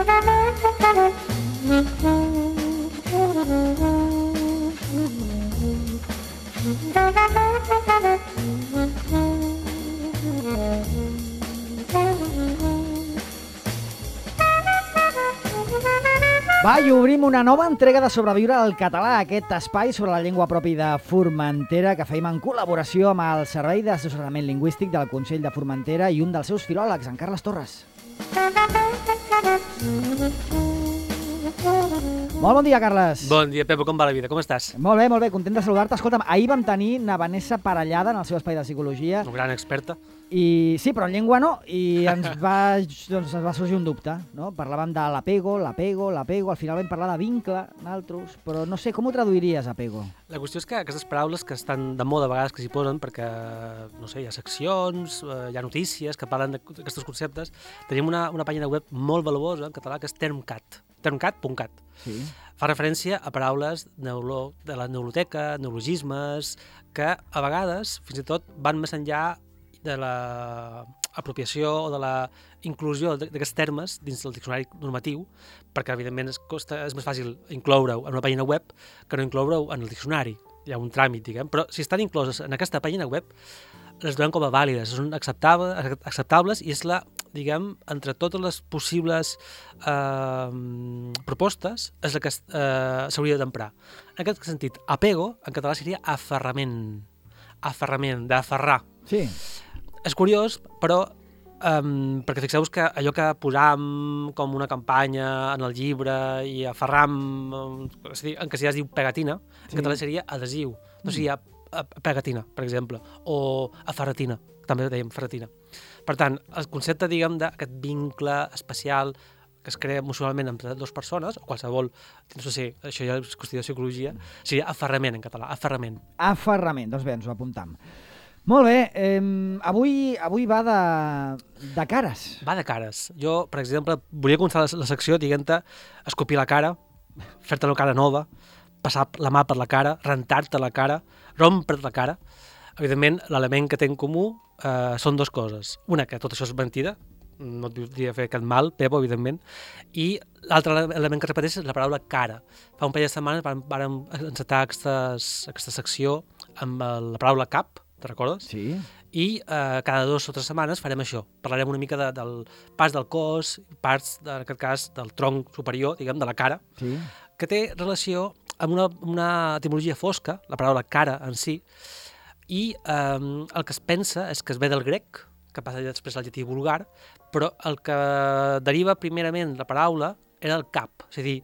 Va, i obrim una nova entrega de Sobreviure al català, aquest espai sobre la llengua propi de Formentera que feim en col·laboració amb el Servei d'Assessorament Lingüístic del Consell de Formentera i un dels seus filòlegs, en Carles Torres. Molt bon dia, Carles. Bon dia, Pepo, com va la vida? Com estàs? Molt bé, content de saludar-te. Escolta'm, ahir vam tenir na Vanessa Parellada en el seu espai de psicologia. Una gran experta. I sí, però en llengua no, i ens va sorgir un dubte, no? Parlàvem de l'apego, al final vam parlar de vincle, naltros, però no sé, com ho traduiries, apego? La qüestió és que aquestes paraules que estan de moda a vegades que s'hi posen perquè, no sé, hi ha seccions, hi ha notícies que parlen d'aquests conceptes. Tenim una pàgina web molt valuosa en català que és termcat, termcat.cat. Sí. Fa referència a paraules de la neuroloteca, neologismes, que a vegades, fins i tot, van més enllà de l'apropiació o de la inclusió d'aquests termes dins del diccionari normatiu, perquè, evidentment, és més fàcil incloure-ho en una pàgina web que no incloure-ho en el diccionari. Hi ha un tràmit, diguem, però si estan incloses en aquesta pàgina web, les donem com a vàlides, són acceptables i és la, diguem, entre totes les possibles propostes, és la que s'hauria d'emprar. En aquest sentit, apego, en català seria aferrament, d'aferrar. Sí. És curiós, però, perquè fixeu-vos que allò que posam com una campanya en el llibre i aferram, en castellà es diu pegatina, en català seria adhesiu, no seria pegatina, per exemple, o aferratina, també dèiem ferratina. Per tant, el concepte, diguem, d'aquest vincle especial que es crea emocionalment entre dues persones, o qualsevol, no sé, això ja és qüestió de psicologia, seria aferrament en català, aferrament. Aferrament, doncs bé, ens ho apuntam. Molt bé, avui va de cares. Va de cares. Jo, per exemple, volia començar la secció dient-te escopir la cara, fer-te una cara nova, passar la mà per la cara, rentar-te la cara, rompre't la cara. Evidentment, l'element que té en comú són dues coses. Una, que tot això és mentida, no et podria fer cap mal, Pepo, evidentment, i l'altre element que repeteix és la paraula cara. Fa un parell de setmanes vam encetar aquesta secció amb la paraula cap, te'n recordes? Sí. I cada 2 o 3 setmanes farem això. Parlarem una mica del pas del cos, parts, en aquest cas, del tronc superior, diguem, de la cara, Sí. que té relació amb una etimologia fosca, la paraula cara en si, i el que es pensa és que es ve del grec, que passa després al llatí vulgar, però el que deriva primerament la paraula era el cap, és a dir,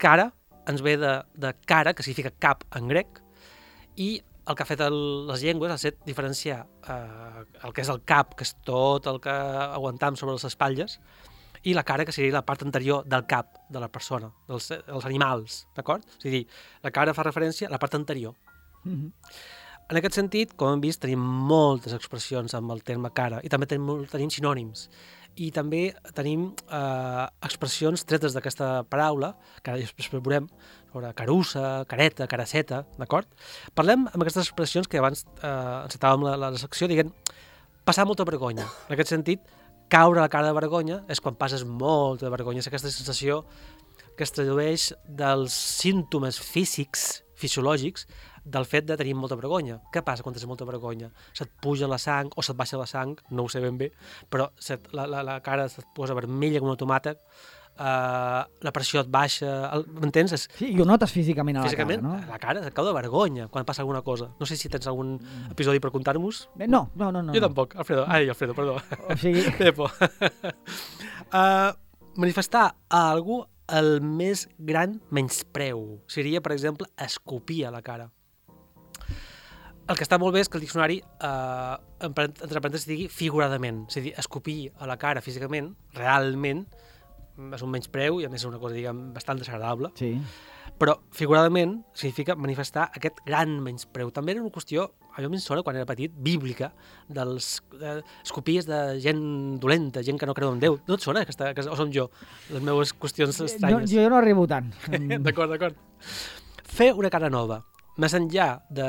cara ens ve de cara, que significa cap en grec, i el que ha fet les llengües ha estat diferenciar el que és el cap, que és tot el que aguantam sobre les espatlles, i la cara, que seria la part anterior del cap de la persona, dels animals, d'acord? És a dir, la cara fa referència a la part anterior. En aquest sentit, com hem vist, tenim moltes expressions amb el terme cara, i també tenim sinònims. I també tenim expressions tretes d'aquesta paraula, que ara després veurem, sobre carussa, careta, caraceta, d'acord? Parlem amb aquestes expressions que abans encetàvem la secció, dient passar molta vergonya. En aquest sentit, caure a la cara de vergonya és quan passes molta vergonya. És aquesta sensació que es tradueix dels símptomes físics, fisiològics, del fet de tenir molta vergonya. Què passa quan tens molta vergonya? Se't puja la sang o se't baixa la sang, no ho sé ben bé, però la cara se't posa vermella com un tomàquet, la pressió et baixa, m'entens? Sí, i ho notes físicament a la cara, no? La cara se't cau de vergonya quan passa alguna cosa. No sé si tens algun episodi per contar-nos. No. Jo tampoc, Alfredo. Alfredo, perdó. O sigui... Pepo. Manifestar a algú el més gran menyspreu seria, per exemple, escopir a la cara. El que està molt bé és que el diccionari, entre parèntesis, digui figuradament. És a dir, escopir a la cara físicament, realment, és un menyspreu i a més és una cosa, diguem, bastant desagradable. Sí. Però figuradament significa manifestar aquest gran menyspreu. També era una qüestió, a mi em sona quan era petit, bíblica, dels escopies de gent dolenta, gent que no creu en Déu. No et sona? O som jo? Les meves qüestions estranyes. Jo no arribo tant. D'acord. Fer una cara nova. Més enllà de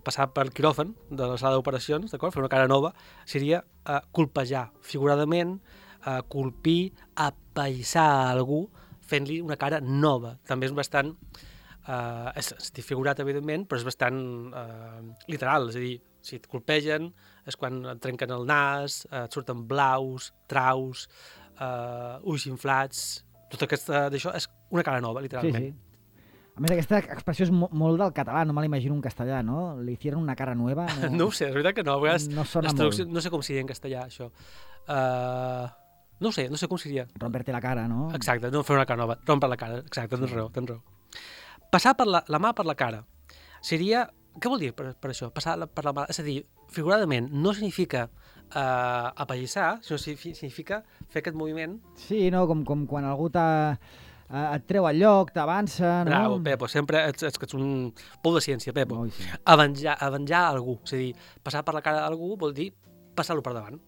passar per quiròfan, de la sala d'operacions, d'acord? Fer una cara nova, seria colpejar figuradament, colpir, apaïssar algú fent-li una cara nova. També és bastant, estic figurat, evidentment, però és bastant literal, és a dir, si et colpegen és quan et trenquen el nas, et surten blaus, traus, ulls inflats, tot aquesta d'això és una cara nova, literalment. Sí. A més, aquesta expressió és molt del català, no me l'imagino en castellà, no? Le hicieron una cara nueva. No ho sé, és veritat que no. A vegades no sona molt. No sé com seria en castellà, això. No sé com seria. Romperte la cara, no? Exacte, no fer una cara nova, rompre la cara, exacte, tens raó. Passar per la mà per la cara seria... Què vol dir per això? Passar per la mà... És a dir, figuradament, no significa apallissar, sinó significa fer aquest moviment... Sí, no? Com quan algú et treu al lloc, t'avança, no? Bravo, Pepo, sempre ets un pou de ciència, Pepo. Oh, sí. Avenjar algú, és a dir, passar per la cara d'algú vol dir passar-lo per davant.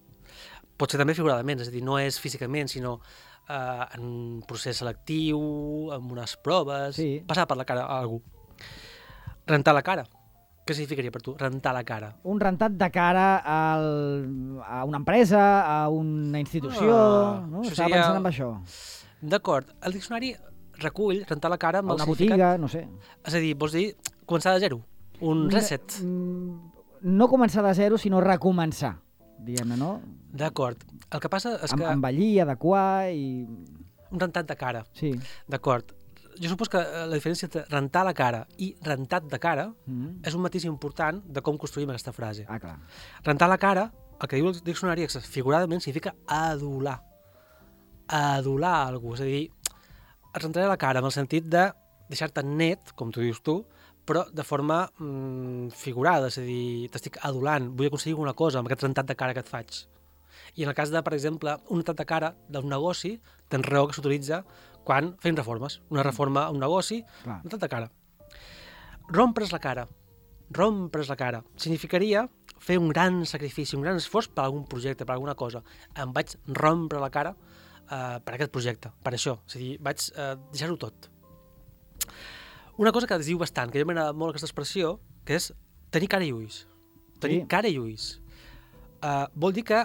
Pot ser també figuradament, és a dir, no és físicament, sinó en un procés selectiu, amb unes proves, sí. Passar per la cara a algú. Rentar la cara. Què significaria per tu, rentar la cara? Un rentat de cara a una empresa, a una institució... no? Estava pensant en això. D'acord. El diccionari recull rentar la cara amb una botiga, no sé. És a dir, vols dir començar de zero? Un reset? No començar de zero, sinó recomençar, diguem-ne, no? D'acord. El que passa és que... Envellir, adequar i... Un rentat de cara. Sí. D'acord. Jo supos que la diferència entre rentar la cara i rentat de cara és un matís important de com construïm aquesta frase. Ah, clar. Rentar la cara, el que diu el diccionari figuradament significa adular. Adular algú, és a dir, et rentaré la cara en el sentit de deixar-te net, com tu dius tu, però de forma figurada, és a dir, t'estic adulant, vull aconseguir alguna cosa amb aquest rentat de cara que et faig. I en el cas de, per exemple, un rentat de cara d'un negoci, tens raó que s'utilitza quan fem reformes. Una reforma a un negoci, un rentat de cara. Rompre's la cara. Rompre's la cara. Significaria fer un gran sacrifici, un gran esforç per algun projecte, per alguna cosa. Em vaig rompre la cara per aquest projecte, per això. És a dir, vaig deixar-ho tot. Una cosa que es diu bastant, que a mi m'agrada molt aquesta expressió, que és tenir cara i ulls. Tenir cara i ulls. Vol dir que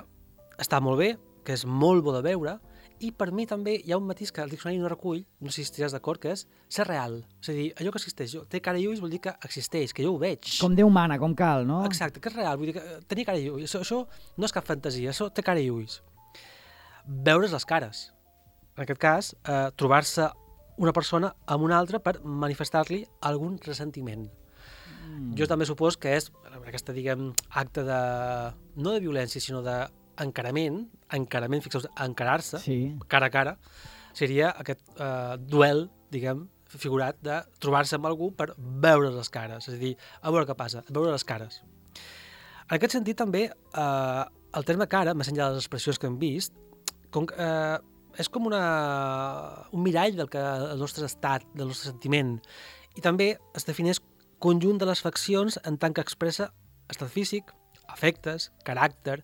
està molt bé, que és molt bo de veure, i per mi també hi ha un matís que el diccionari no recull, no sé si estiràs d'acord, que és ser real. És a dir, allò que existeix, té cara i ulls vol dir que existeix, que jo ho veig. Com Déu mana, com cal, no? Exacte, que és real, vull dir que tenir cara i ulls. Això no és cap fantasia, això té cara i ulls. Veure's les cares. En aquest cas, trobar-se una persona amb una altra per manifestar-li algun ressentiment. Jo també supos que és aquesta, diguem, acte de... no de violència, sinó de encarament, fixeu-vos, encarar-se, cara a cara, seria aquest duel, diguem, figurat de trobar-se amb algú per veure les cares, és a dir, a veure què passa, veure les cares. En aquest sentit, també, el terme cara, més enllà de les expressions que hem vist, és com un mirall del nostre estat, del nostre sentiment, i també es defineix conjunt de les faccions en tant que expressa estat físic, afectes, caràcter.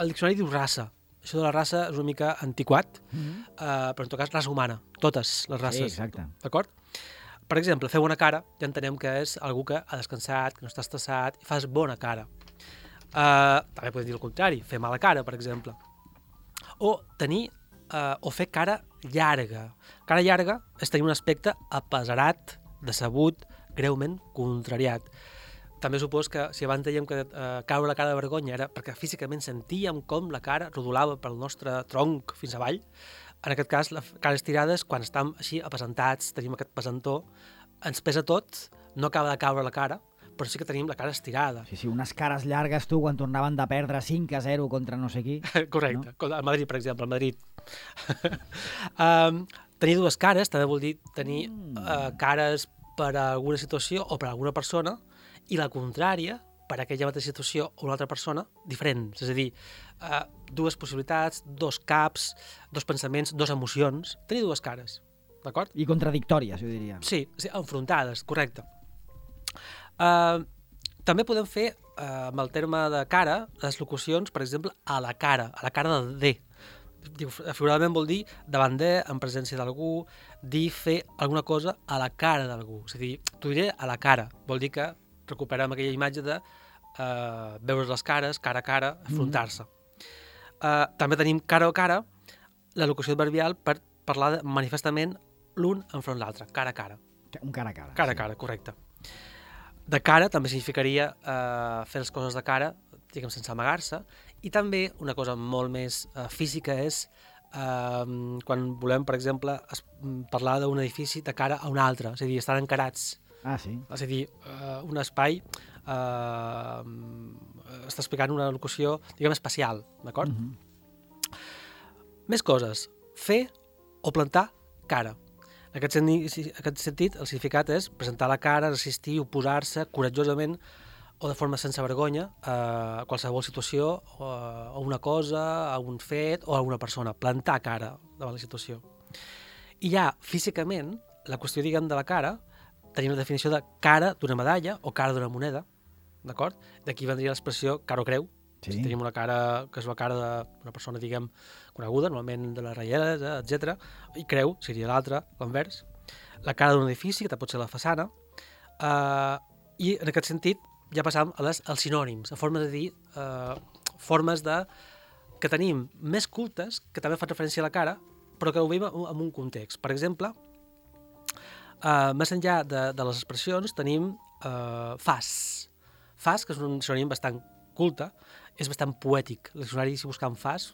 El diccionari diu raça. Això de la raça és una mica antiquat, però en tot cas raça humana, totes les races. Sí, exacte. D'acord? Per exemple, fer bona cara, ja entenem que és algú que ha descansat, que no està estressat, i fas bona cara. També podem dir el contrari, fer mala cara, per exemple. O fer cara llarga. Cara llarga és tenir un aspecte apesarat, decebut, greument contrariat. També supos que si abans dèiem que caure la cara de vergonya era perquè físicament sentíem com la cara rodolava pel nostre tronc fins avall, en aquest cas la cara estirada és quan estem així apesantats, tenim aquest pesantó, ens pesa tot, no acaba de caure la cara, però sí que tenim la cara estirada. Sí, unes cares llargues, tu, quan tornaven de perdre 5-0 contra no sé qui. Correcte, no? Al Madrid, per exemple, al Madrid. Tenir dues cares també vol dir tenir cares per a alguna situació o per a alguna persona, i la contrària per a aquella mateixa situació o una altra persona diferents. És a dir, dues possibilitats, dos caps, dos pensaments, dos emocions. Tenir dues cares, d'acord? I contradictòries, jo diria. Sí, enfrontades, correcte. També podem fer, amb el terme de cara, les locucions, per exemple, a la cara de. Figuradament vol dir davant de, en presència d'algú, dir fer alguna cosa a la cara d'algú. És a dir, t'ho diré a la cara. Vol dir que recuperem aquella imatge de veure les cares, cara a cara, afrontar-se. També tenim cara a cara la locució adverbial per parlar manifestament l'un enfront l'altre, cara a cara. Un cara a cara. Cara a cara, correcte. De cara també significaria fer les coses de cara, diguem, sense amagar-se, i també una cosa molt més física és quan volem, per exemple, parlar d'un edifici de cara a un altre, és a dir, estan encarats. Ah, sí. És a dir, un espai està explicant una locució, diguem, espacial, d'acord? Més coses. Fer o plantar cara. En aquest sentit, el significat és presentar la cara, resistir, oposar-se coratjosament o de forma sense vergonya a qualsevol situació, a una cosa, a un fet o a una persona. Plantar cara davant la situació. I ja, físicament, la qüestió, diguem, de la cara, tenim la definició de cara d'una medalla o cara d'una moneda, d'acord? D'aquí vendria l'expressió cara o creu. Sí. Si tenim una cara que és la cara d'una persona, diguem, coneguda, normalment de les reies, etc. I creu seria l'altra, l'envers. La cara d'un edifici, que pot ser la façana. I en aquest sentit ja passam als sinònims, a formes de dir, formes que tenim més cultes, que també fan referència a la cara, però que ho veiem en un context. Per exemple, més enllà de les expressions, tenim fas. Fas, que és un sinònim bastant culte, és bastant poètic. El diccionari, si buscam fas,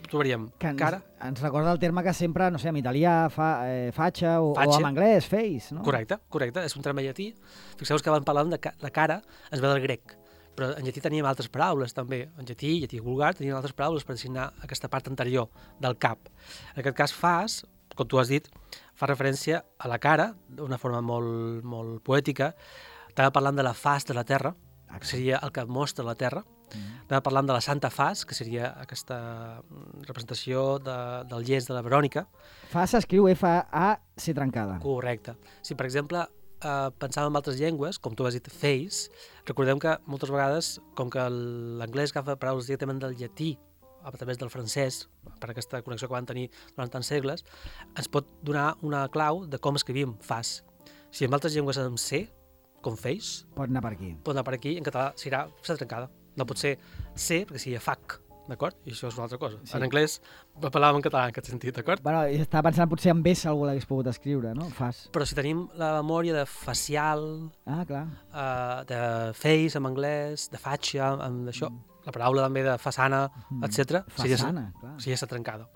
trobaríem cara. Ens recorda el terme que sempre, no sé, en italià fatxa o en anglès face, no? Correcte. És un terme llatí. Fixeu-vos que abans parlàvem de cara, ens ve del grec. Però en llatí teníem altres paraules, també. En llatí vulgar, teníem altres paraules per designar aquesta part anterior del cap. En aquest cas, fas, com tu has dit, fa referència a la cara, d'una forma molt, molt poètica. Estava parlant de la fas de la terra, que seria el que mostra la terra. Estava parlant de la Santa Fas, que seria aquesta representació del llest de la Verònica. Fas s'escriu F-A-C trencada. Correcte. Si, per exemple, pensàvem en altres llengües, com tu has dit, face, recordem que moltes vegades, com que l'anglès agafa paraules directament del llatí, a través del francès, per aquesta connexió que van tenir durant tants segles, ens pot donar una clau de com escrivim fas. Si en altres llengües amb C, com face, pot anar per aquí. Pot anar per aquí, en català serà C trencada. No pot ser C, perquè seria fac, d'acord? I això és una altra cosa. Sí. En anglès parlàvem en català en aquest sentit, d'acord? Bueno, estava pensant potser en S algú l'hagués pogut escriure, no? Fas. Però si tenim la memòria de facial, clar. De face en anglès, de fatxa, d'això, la paraula també de façana, etc. Façana, clar. Seria C trencada.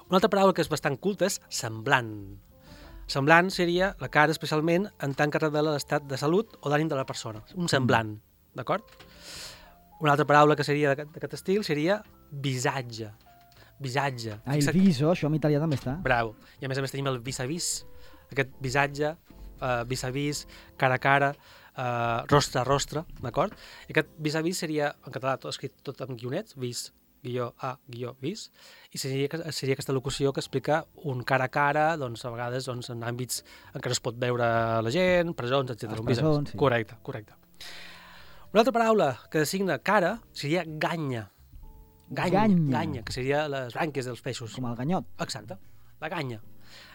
Una altra paraula que és bastant culta és semblant. Semblant seria la cara, especialment en tant que revela l'estat de salut o d'ànim de la persona. Un semblant, d'acord? Una altra paraula que seria d'aquest estil seria visatge. Visatge. El viso, això en italià també està. Bravo. I a més tenim el vis-a-vis, aquest visatge, vis-a-vis, cara a cara, rostre a rostre, d'acord? I aquest vis-a-vis seria, en català, tot escrit tot amb guionets, vis, guió A, guió vis, i seria aquesta locució que explica un cara a cara, doncs, a vegades en àmbits en què no es pot veure la gent, presons, etc. Els presons, sí. Correcte. Una altra paraula que designa cara seria ganya. Ganya, que seria les brànquies dels peixos. Com el ganyot. Exacte, la ganya.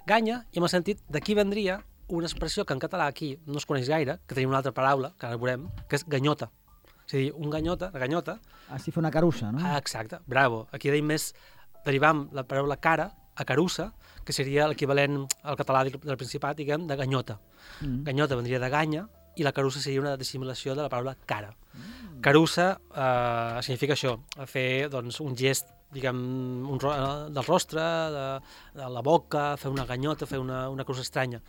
Ganya, i en el sentit d'aquí vendria una expressió que en català aquí no es coneix gaire, que tenim una altra paraula, que ara veurem, que és ganyota. És a dir, una ganyota... Si fa una carussa, no? Exacte, bravo. Aquí derivem la paraula cara a carussa, que seria l'equivalent al català del Principat, diguem, de ganyota. Ganyota vendria de ganya, i la carussa seria una dissimulació de la paraula cara. Carussa significa això, fer doncs, un gest, diguem, del rostre, de la boca, fer una ganyota, fer una cosa estranya.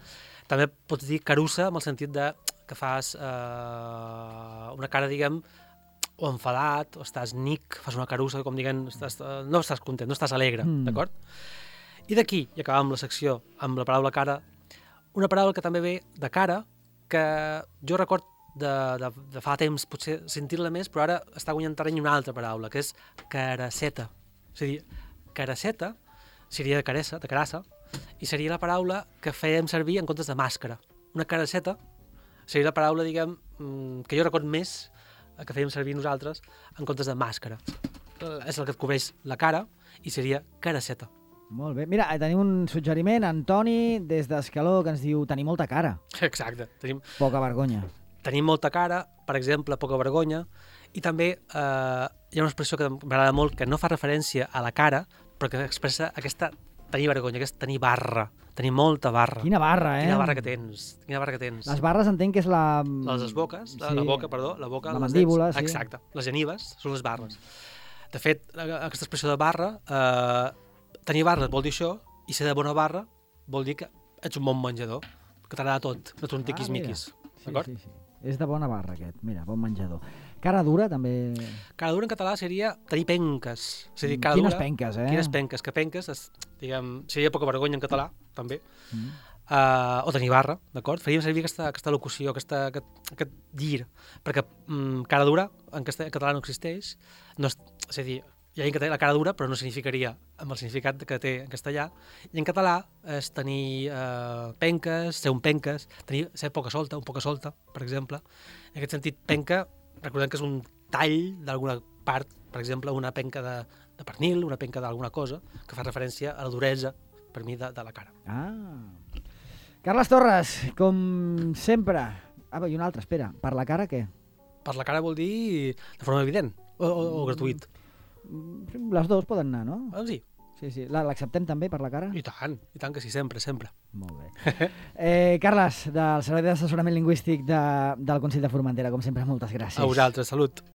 També pots dir carussa amb el sentit que fas una cara, diguem, o enfadat, o estàs nic, fas una carussa, com diguem, no estàs content, no estàs alegre, d'acord? I d'aquí, i acabàvem la secció amb la paraula cara, una paraula que també ve de cara, que jo record de fa temps potser sentir-la més, però ara està guanyant terreny una altra paraula, que és carasseta. És a dir, carasseta seria de carassa, i seria la paraula que fèiem servir en comptes de màscara. Una carasseta seria la paraula, diguem, que jo record més que fèiem servir nosaltres en comptes de màscara. És el que et cobreix la cara i seria carasseta. Molt bé. Mira, tenim un suggeriment, Antoni, des d'Escaló, que ens diu tenir molta cara. Exacte. Poca vergonya. Tenim molta cara, per exemple, poca vergonya, i també hi ha una expressió que m'agrada molt, que no fa referència a la cara, però que expressa aquesta tenir vergonya, aquest tenir barra, tenir molta barra. Quina barra, eh? Quina barra que tens. Les barres entenc que és la... Les boques, la boca, perdó, la boca, la mandíbula, sí. Exacte, les genives són les barres. De fet, aquesta expressió de barra, tenir barra vol dir això, i ser de bona barra vol dir que ets un bon menjador, que t'agrada tot, no t'ho tiquis-miquis. D'acord? Sí. És de bona barra, aquest. Mira, bon menjador. Cara dura, també... Cara dura en català seria tenir penques. És a dir, cara Quines dura, penques, eh? Quines penques, que penques, seria poca vergonya en català, també. O tenir barra, d'acord? Faríem servir aquesta locució, aquest dir, perquè cara dura en català no existeix, és a dir, hi ha gent que té la cara dura, però no significaria amb el significat que té en castellà, i en català és tenir penques, ser un penques, ser poca solta, un poca solta, per exemple. En aquest sentit, penca, recordem que és un tall d'alguna part, per exemple, una penca de pernil, una penca d'alguna cosa, que fa referència a la duresa, per mi, de la cara. Carles Torres, com sempre... i una altra, espera. Per la cara, què? Per la cara vol dir de forma evident o gratuït. Les dues poden anar, no? Sí. Sí. L'acceptem també per la cara? I tant que sí, sempre. Molt bé. Carles, del Servei d'Assessorament Lingüístic del Consell de Formentera, com sempre, moltes gràcies. A vosaltres, salut.